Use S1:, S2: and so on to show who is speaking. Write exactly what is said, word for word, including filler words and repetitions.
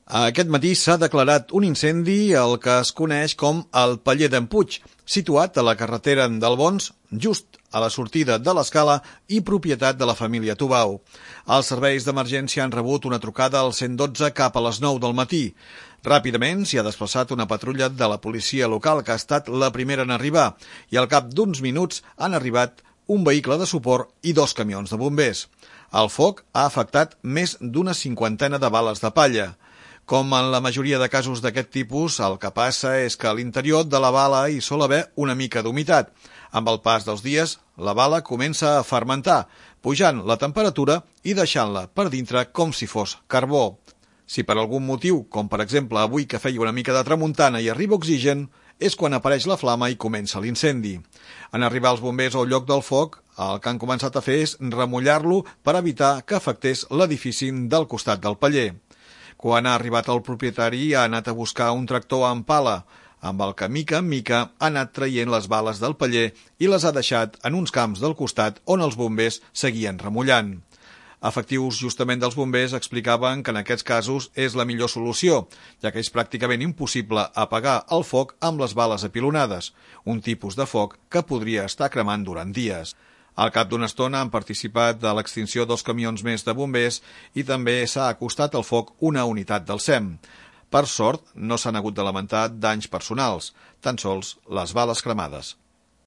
S1: Aquest matí s'ha declarat un incendi al que es coneix com el Paller d'en Puig, situat a la carretera d'Albons, just a la sortida de l'Escala i propietat de la família Tubau. Els serveis d'emergència han rebut una trucada al cent dotze cap a les nou del matí. Ràpidament s'hi ha desplaçat una patrulla de la policia local, que ha estat la primera en arribar, i al cap d'uns minuts han arribat un vehicle de suport i dos camions de bombers. El foc ha afectat més d'una cinquantena de bales de palla. Com en la majoria de casos d'aquest tipus, el que passa és que a l'interior de la bala hi sol haver una mica d'humitat. Amb el pas dels dies, la bala comença a fermentar, pujant la temperatura i deixant-la per dintre com si fos carbó. Si per algun motiu, com per exemple avui que feia una mica de tramuntana i arriba oxigen, és quan apareix la flama i comença l'incendi. En arribar els bombers al lloc del foc, el que han començat a fer és remullar-lo per evitar que afectés l'edifici del costat del paller. Quan ha arribat el propietari, ha anat a buscar un tractor amb pala, amb el que mica en mica ha anat traient les bales del paller i les ha deixat en uns camps del costat on els bombers seguien remullant. Efectius justament dels bombers explicaven que en aquests casos és la millor solució, ja que és pràcticament impossible apagar el foc amb les bales apilonades, un tipus de foc que podria estar cremant durant dies. Al cap d'una estona han participat de l'extinció dos camions més de bombers i també s'ha acostat al foc una unitat del S E M. Per sort, no s'han hagut de lamentar danys personals, tan sols les bales cremades.